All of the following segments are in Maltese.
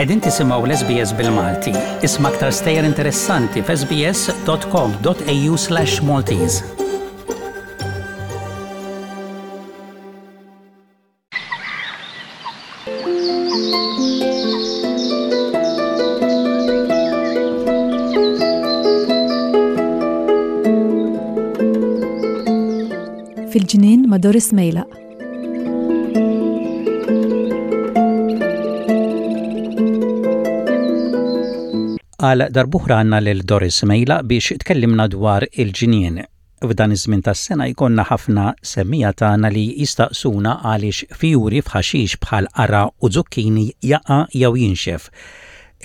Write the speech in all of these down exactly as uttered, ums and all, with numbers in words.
Qegħdin tisimgħu l-S B S bil-Malti. Isma' aktar stejjer interessanti f'S B S dot com dot A U slash Maltese. Fil-ġnien ma' Doris Mejlaq. Għal darb'oħra għandna lil Doris Mejlaq biex tkellimna dwar il-ġnien. F'dan iż-żmien tas-sena jkollna ħafna semmiegħa tagħna li jistaqsuna għaliex fjuri f'ħaxix bħal qara u zucchini jaqa' jew jinxef.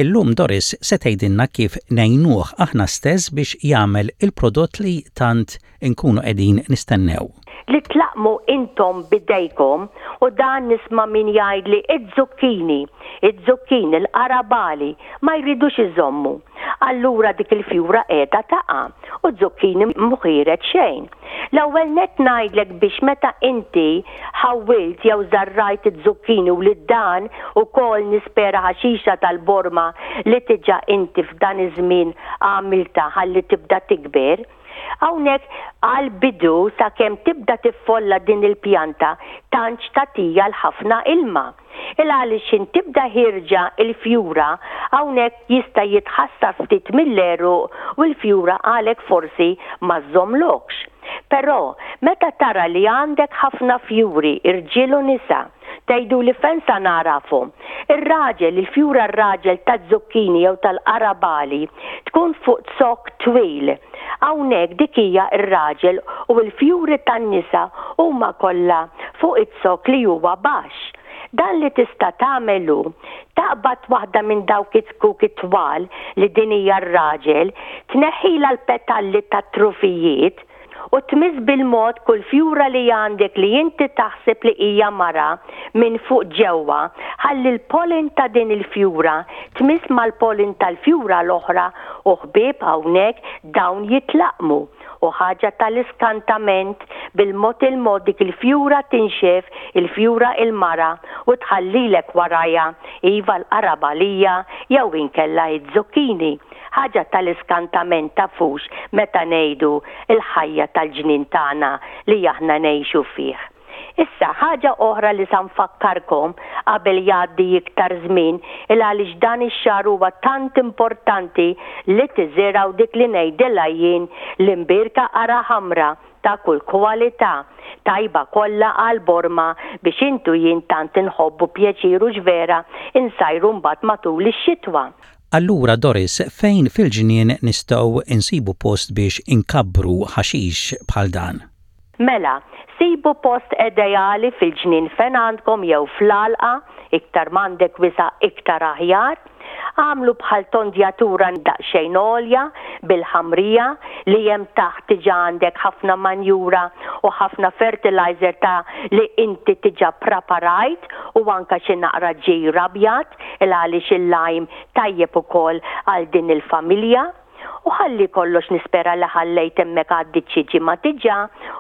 Illum Doris se tgħidilna kif ngħinuh aħna stess biex jagħmel il-prodott li tant inkunu qegħdin nistennew. Li tlaqqmu intom bidejkom, u dan nisma' min jgħidli id-zucchini, id-zucchini, l-qarabagħli ma jridux iżommu. Allura dik il-fjura qiegħda taqa' u zucchini mhu ħiereġ xejn. L-ewwel net ngħidlek biex meta inti ħawwilt jew żarrajt iz-zucchini u li dan ukoll nispera ħaxixa tal-borma li diġà inti f'dan iż-żmien għamilta ħalli tibda tikber. Hawnhekk għal-bidu, sakemm tibda tiffolla din il-pjanta, tantx tagħtiha l-ħafna ilma. Il għaliex tibda ħierġa il-fjura, hawnhekk jista' jitħassar ftit mill-għeruq u l-fjura għalek forsi ma żżomlokx. Però meta tara li għandek ħafna fjuri, irġiel u nisa, tgħidu li fejn sa nagħrafhom? Ir-raġel, il-fjura r-raġel ta' zucchini jew tal-qarabagħli tkun fuq zokk twil. Hawnhekk dik hija r-raġel, u l-fjuri tan-nisa huma kollha fuq iz-zokk li huwa baxx. Dan li tista' tagħmelu, taqbad waħda minn dawk it-zkuk twal li din hija r-raġel, tneħħila l-petalli tat-trufijiet u tmiss bil-mod kull fjura li għandek li inti taħseb li hija mara minn fuq ġewwa, ħalli l-pollen ta' din il-fjura tmiss mal-pollen tal-fjura l-oħra, u ħbieb, hawnhekk dawn jitlaqmu u ħaġa tal-iskantament, bil-mod il-mod dik il-fjura tinxef, il-fjura il-mara, u tħallilek warajha iva l-qarabagħlija jew inkella id-zucchini. Ħaġa tal-iskantament, tafux meta ngħidu il-ħajja tal-ġnien tagħna li aħna ngħixu fih. Issa, ħaġa oħra li sa nfakkarkom qabel jgħaddi iktar żmien, il għaliex dan ix-xahar huwa tant importanti li tiżirgħu dik li ngħidilha jien l-imbirka qara ħamra ta' kull kwalità, tajba kollha għal borma biex intu jien tant inħobbu pjaċir u ġvera insajru mbagħad matul ix-xitwa. Allura Doris, fejn fil-ġnien nistgħu insibu post biex inkabbru ħaxix bħal dan? Mela, sibu post ideali fil-ġnien fejn għandkom jew fl-għalqa, iktar m'għandek wisa' iktar aħjar. Għamlu bħal tondjatura daqsxejn għolja bil-ħamrija li hemm taħt, diġà għandek ħafna manjura u ħafna fertilizer ta' li inti diġà preparajt u anka xi naqra ġir abjad, il għaliex il-lime tajjeb ukoll għal din il-familja. U ħalli kollox nispera li ħallejt hemmhekk għaddit xi ġimgħa diġà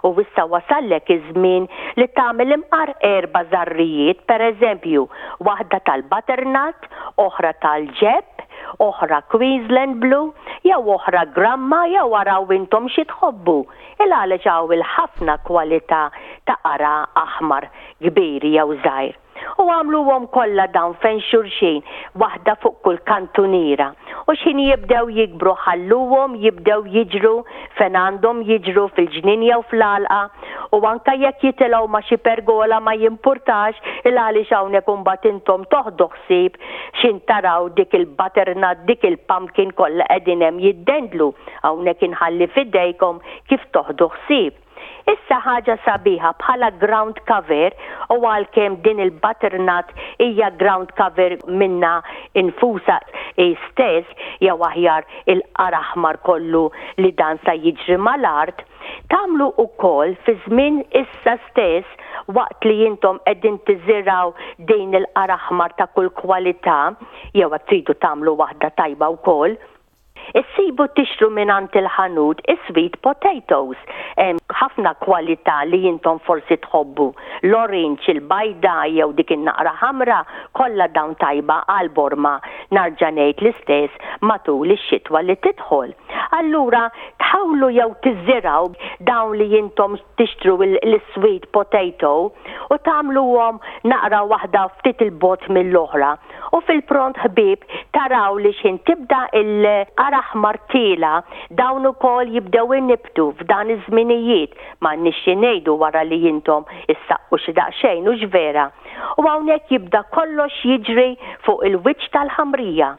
u issa wasallek iż-żmien li tagħmel imqar erba' żarrijiet, pereżempju, waħda tal-butternut, oħra tal-ġebb, oħra Queensland Blue, jew oħra Gramma, jew araw intom xi tħobbu. Il għaliex hawn il-ħafna kwalità ta' qara aħmar kbir jew żgħir. U għamluhom kollha dawn fejn xulxin, waħda fuq kull kantuniera. U x'ħin jibdew jikbru, ħalluhom jibdew jiġru fejn għandhom jiġru, fil-ġnien jew fl-għalqa, u anka jekk jitilgħu ma' xi pergola ma jimpurtax, il għaliex hawnhekk imbagħad intom toħdu ħsieb x'ħin taraw dik il-butternut, dik il-pumpkin kollha qegħdin hemm jiddendlu. Hawnhekk inħalli f'idejkom kif toħdu ħsieb. Issa, ħaġa sabiħa bħala ground cover, u għalkemm din il-butternut hija ground cover minna infusa stess, jew aħjar il-qara aħmar kollu li dan sa jiġri mal-art, tagħmlu ukoll fi żmien issa stess waqt li intom qegħdin tiżirgħu din il-qara aħmar ta' kull kwalità, jew qed tridu tagħmlu waħda tajba wkoll. Issibu tixtru minn il-ħanut is-sweet potatoes. Hemm ħafna kwalità li intom forsi tħobbu. L-orange, il-bajda jew dik in-naqra ħamra, Kollha dawn tajba għal borma narġa' ngħid l-istess matul ix-xitwa li tidħol. Allura tħawlu jew tiżirgħu dawn li intom tixtru l-sweet potato u tagħmluhom naqra waħda ftit il-bogħod mill-oħra. U fil-pront, ħbieb, taraw li x'ħin tibda il-qara aħmar tiela', dawn ukoll jibdew inibtu f'dan iż-żminijiet, m'għandniex xi ngħidu wara li intom issaqqu xi daqsxejn, hux vera? U hawnhekk jibda kollox jiġri fuq il-wiċċ tal-ħamrija.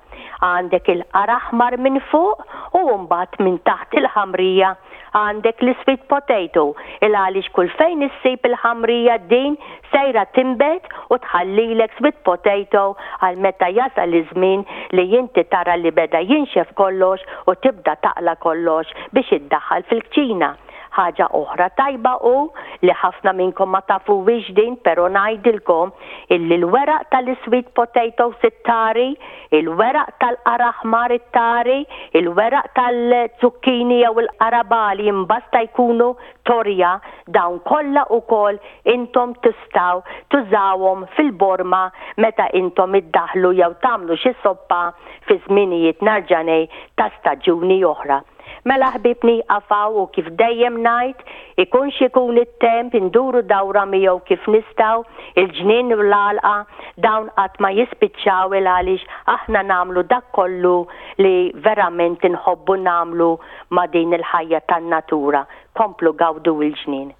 Għandek il-qara aħmar minn fuq u mbagħad minn taħt il-ħamrija għandek l-sweet potato, il għaliex kull fejn issib il-ħamrija din sejra tinbet u tħallilek sweet potato għal meta jasal iż-żmien li inti tara li beda jinxef kollox u tibda taqla kollox biex iddaħħal fil-kċina. Ħaġa oħra tajba u li ħafna minnkom ma tafuhiex din, pero ngħidilkom illi l-weraq tal-sweet potato it-tari, il-weraq tal-qara aħmar it-tari, il-weraq tal-zucchini jew il-qarabali, imbasta jkunu torja, dawn kollha ukoll intom tistgħu tużawhom fil-borma meta intom iddaħlu jew tagħmlu xi soppa fi żminijiet narġa' ngħid ta' staġuni oħra. Mela ħbieb, nieqaf hawn u kif dejjem ngħid, ikun x'ikun it-temp, induru dawra miegħu kif nistgħu, il-ġnien u l-għalqa dawn qatt ma jispiċċaw il għaliex aħna nagħmlu dak kollu li verament inħobbu nagħmlu ma' din il-ħajja tan-natura. Komplu gawdu il-ġnien.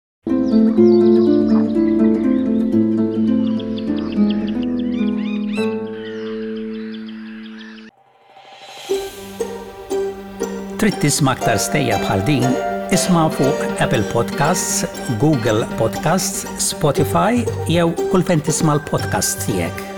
Trid tisma' aktar stejjer bħal din? Isma' fuq Apple Podcasts, Google Podcasts, Spotify jew kull fejn tisma' l-podcast tiegħek.